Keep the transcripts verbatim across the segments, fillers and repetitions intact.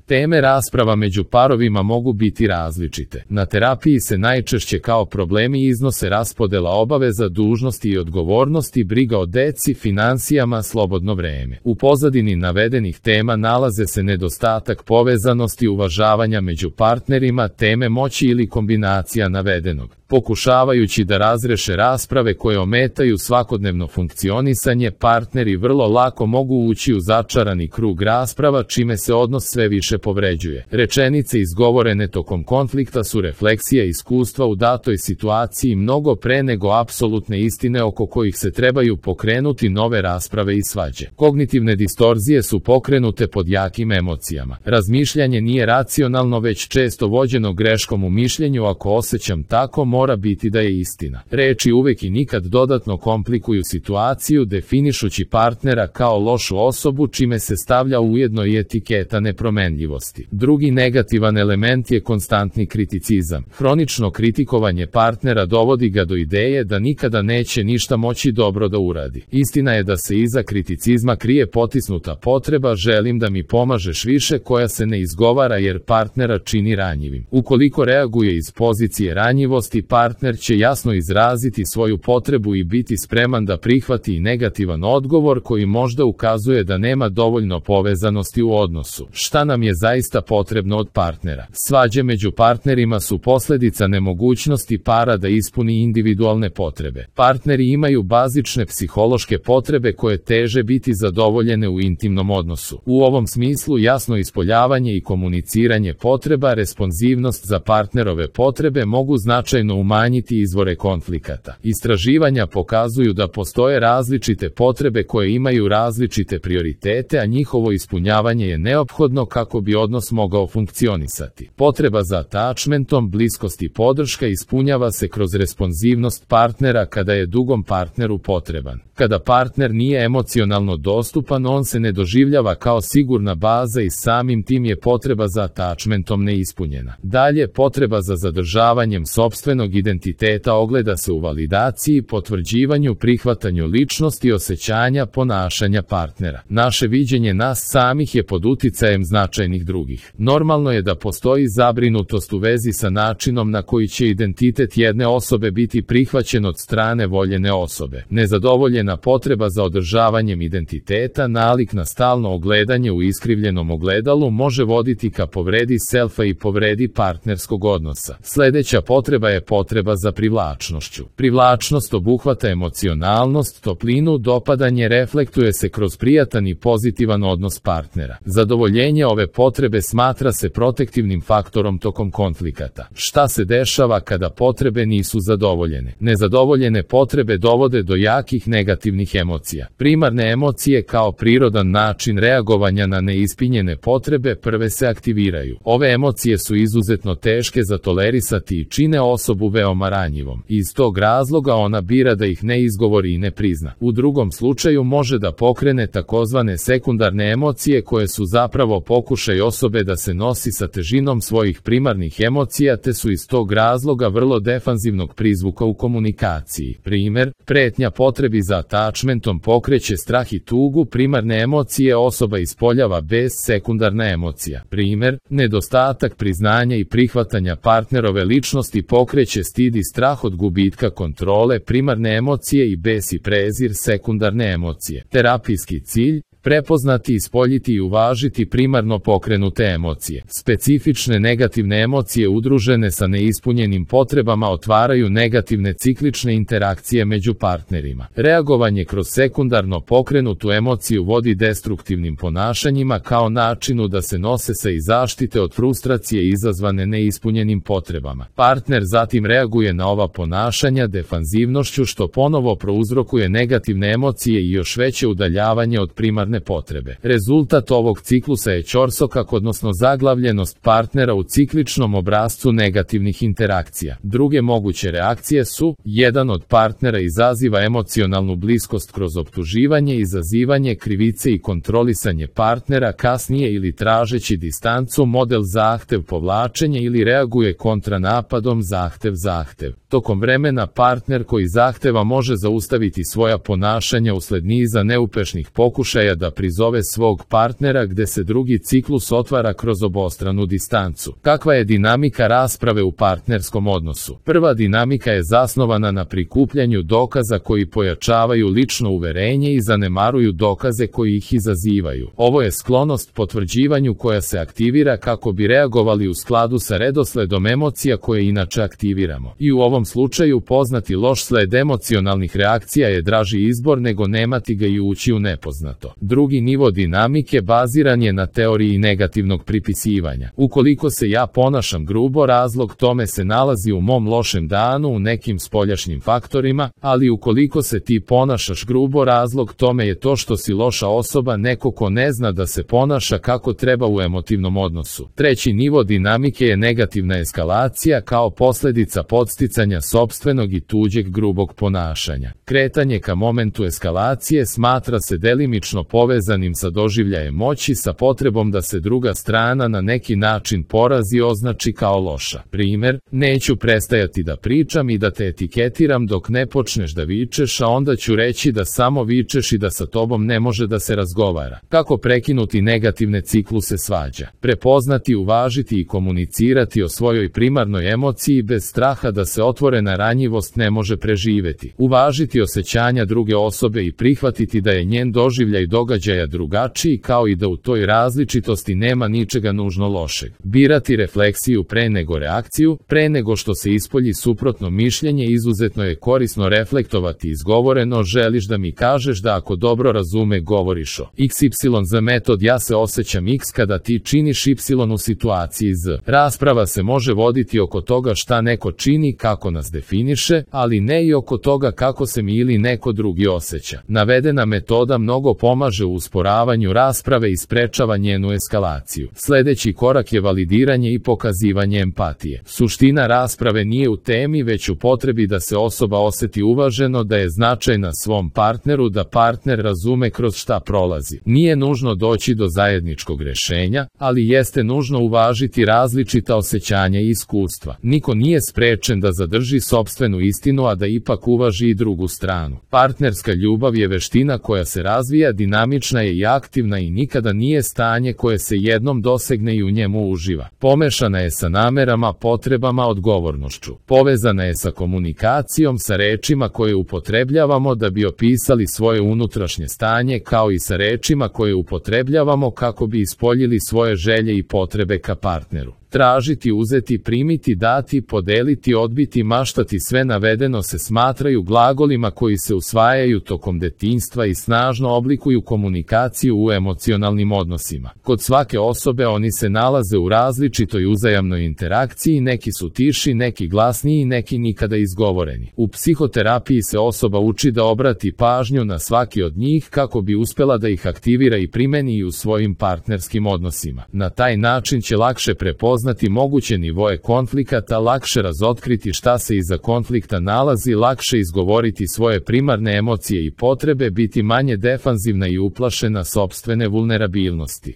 Teme rasprava među parovima mogu biti različite. Na terapiji se najčešće kao problemi iznose raspodela obaveza, dužnosti i odgovornosti, briga o deci, financijama, slobodno vreme. U pozadini navedenih tema nalaze se nedostatak povezanosti, uvažavanja među partnerima, teme moći ili kombinacija navedenog. Pokušavajući da razreše rasprave koje ometaju svakodnevno funkcionisanje, partneri vrlo lako mogu ući u začarani krug rasprava, čime se odnos sve više povređuje. Rečenice izgovorene tokom konflikta su refleksija iskustva u datoj situaciji mnogo pre nego apsolutne istine oko kojih se trebaju pokrenuti nove rasprave i svađe. Kognitivne distorzije su pokrenute pod jakim emocijama. Razmišljanje nije racionalno, već često vođeno greškom u mišljenju. Ako osjećam tako, mora biti da je istina. Reči uvek i nikad dodatno komplikuju situaciju, definišući partnera kao lošu osobu, čime se stavlja ujedno i etiketa nepromenljivosti. Drugi negativan element je konstantni kriticizam. Hronično kritikovanje partnera dovodi ga do ideje da nikada neće ništa moći dobro da uradi. Istina je da se iza kriticizma krije potisnuta potreba želim da mi pomažeš više, koja se ne izgovara jer partnera čini ranjivim. Ukoliko reaguje iz pozicije ranjivosti, partner će jasno izraziti svoju potrebu i biti spreman da prihvati i negativan odgovor koji možda ukazuje da nema dovoljno povezanosti u odnosu. Šta nam je zaista potrebno od partnera? Svađe među partnerima su posljedica nemogućnosti para da ispuni individualne potrebe. Partneri imaju bazične psihološke potrebe koje teže biti zadovoljene u intimnom odnosu. U ovom smislu jasno ispoljavanje i komuniciranje potreba, responsivnost za partnerove potrebe mogu značajno umanjiti izvore konflikata. Istraživanja pokazuju da postoje različite potrebe koje imaju različite prioritete, a njihovo ispunjavanje je neophodno kako bi odnos mogao funkcionisati. Potreba za attachmentom, bliskost i podrška ispunjava se kroz responsivnost partnera kada je drugom partneru potreban. Kada partner nije emocionalno dostupan, on se ne doživljava kao sigurna baza i samim tim je potreba za attachmentom neispunjena. Dalje, potreba za zadržavanjem sopstvenog identiteta ogleda se u validaciji, potvrđivanju, prihvatanju ličnosti, osjećanja, ponašanja partnera. Naše viđenje nas samih je pod uticajem značajnih drugih. Normalno je da postoji zabrinutost u vezi sa načinom na koji će identitet jedne osobe biti prihvaćen od strane voljene osobe. Nezadovoljena potreba za održavanjem identiteta, nalik na stalno ogledanje u iskrivljenom ogledalu može voditi ka povredi selfa i povredi partnerskog odnosa. Sljedeća potreba je potreba za privlačnošću. Privlačnost obuhvata emocionalnost, toplinu, dopadanje, reflektuje se kroz prijatan i pozitivan odnos partnera. Zadovoljenje ove potrebe smatra se protektivnim faktorom tokom konflikata. Šta se dešava kada potrebe nisu zadovoljene? Nezadovoljene potrebe dovode do jakih negativnih emocija. Primarne emocije kao prirodan način reagovanja na neispunjene potrebe prve se aktiviraju. Ove emocije su izuzetno teške za tolerisati i čine osobu veoma ranjivom. Iz tog razloga ona bira da ih ne izgovori i ne prizna. U drugom slučaju može da pokrene takozvane sekundarne emocije koje su zapravo pokušaj osobe da se nosi sa težinom svojih primarnih emocija, te su iz tog razloga vrlo defanzivnog prizvuka u komunikaciji. Primer, pretnja potrebi za attachmentom pokreće strah i tugu, primarne emocije osoba ispoljava bez sekundarna emocija. Primer, nedostatak priznanja i prihvatanja partnerove ličnosti pokreće stid i strah od gubitka kontrole, primarne emocije, i bes i prezir, sekundarne emocije. Terapijski cilj: prepoznati, ispoljiti i uvažiti primarno pokrenute emocije. Specifične negativne emocije udružene sa neispunjenim potrebama otvaraju negativne ciklične interakcije među partnerima. Reagovanje kroz sekundarno pokrenutu emociju vodi destruktivnim ponašanjima kao načinu da se nose sa i zaštite od frustracije izazvane neispunjenim potrebama. Partner zatim reaguje na ova ponašanja defanzivnošću, što ponovo prouzrokuje negativne emocije i još veće udaljavanje od primarne potrebe. Rezultat ovog ciklusa je ćorsokak, odnosno zaglavljenost partnera u cikličnom obrascu negativnih interakcija. Druge moguće reakcije su: jedan od partnera izaziva emocionalnu bliskost kroz optuživanje, izazivanje krivice i kontrolisanje partnera, kasnije ili tražeći distancu, model zahtev povlačenje, ili reaguje kontranapadom zahtev zahtev. Tokom vremena partner koji zahteva može zaustaviti svoja ponašanja usled niza neuspešnih pokušaja da prizove svog partnera gde se drugi ciklus otvara kroz obostranu distancu. Kakva je dinamika rasprave u partnerskom odnosu? Prva dinamika je zasnovana na prikupljanju dokaza koji pojačavaju lično uverenje i zanemaruju dokaze koji ih izazivaju. Ovo je sklonost potvrđivanju koja se aktivira kako bi reagovali u skladu sa redosledom emocija koje inače aktiviramo. I u ovom slučaju poznati loš sled emocionalnih reakcija je draži izbor nego nemati ga i ući u nepoznato. Drugi nivo dinamike baziran je na teoriji negativnog pripisivanja. Ukoliko se ja ponašam grubo, razlog tome se nalazi u mom lošem danu, u nekim spoljašnjim faktorima, ali ukoliko se ti ponašaš grubo, razlog tome je to što si loša osoba, neko ko ne zna da se ponaša kako treba u emotivnom odnosu. Treći nivo dinamike je negativna eskalacija kao posljedica podsticanja sopstvenog i tuđeg grubog ponašanja. Kretanje ka momentu eskalacije smatra se delimično povezanim sa doživljajem moći, sa potrebom da se druga strana na neki način porazi, označi kao loša. Primer, neću prestajati da pričam i da te etiketiram dok ne počneš da vičeš, a onda ću reći da samo vičeš i da sa tobom ne može da se razgovara. Kako prekinuti negativne cikluse svađa? Prepoznati, uvažiti i komunicirati o svojoj primarnoj emociji bez straha da se otvorena ranjivost ne može preživeti. Uvažiti osjećanja druge osobe i prihvatiti da je njen doživljaj događaja drugačiji, kao i da u toj različitosti nema ničega nužno lošeg. Birati refleksiju pre nego reakciju. Pre nego što se ispolji suprotno mišljenje, izuzetno je korisno reflektovati izgovoreno. Želiš da mi kažeš da ako dobro razume govoriš o iks ipsilon z metod ja se osjećam X kada ti činiš Y u situaciji Z. Rasprava se može voditi oko toga šta neko čini, kako nas definiše, ali ne i oko toga kako se mi ili neko drugi osjeća. Navedena metoda mnogo pomaže u usporavanju rasprave i sprečava njenu eskalaciju. Sljedeći korak je validiranje i pokazivanje empatije. Suština rasprave nije u temi, već u potrebi da se osoba osjeti uvaženo, da je značajna svom partneru, da partner razume kroz šta prolazi. Nije nužno doći do zajedničkog rešenja, ali jeste nužno uvažiti različita osjećanja i iskustva. Niko nije sprečen da zadrži sopstvenu istinu, a da ipak uvaži i drugu stranu. Partnerska ljubav je veština koja se razvija, dinamična je i aktivna i nikada nije stanje koje se jednom dosegne i u njemu uživa. Pomešana je sa namerama, potrebama, odgovornošću. Povezana je sa komunikacijom, sa rečima koje upotrebljavamo da bi opisali svoje unutrašnje stanje, kao i sa rečima koje upotrebljavamo kako bi ispoljili svoje želje i potrebe ka partneru. Tražiti, uzeti, primiti, dati, podeliti, odbiti, maštati, sve navedeno se smatraju glagolima koji se usvajaju tokom detinjstva i snažno oblikuju komunikaciju u emocionalnim odnosima. Kod svake osobe oni se nalaze u različitoj uzajamnoj interakciji, neki su tiši, neki glasniji, neki nikada izgovoreni. U psihoterapiji se osoba uči da obrati pažnju na svaki od njih kako bi uspela da ih aktivira i primeni i u svojim partnerskim odnosima. Na taj način će lakše prepoznati znati moguće nivoe konflikata, lakše razotkriti šta se iza konflikta nalazi, lakše izgovoriti svoje primarne emocije i potrebe, biti manje defanzivna i uplašena sopstvene vulnerabilnosti.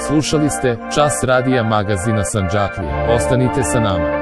Slušali ste Čas radija magazina Sandžaklija. Ostanite sa nama.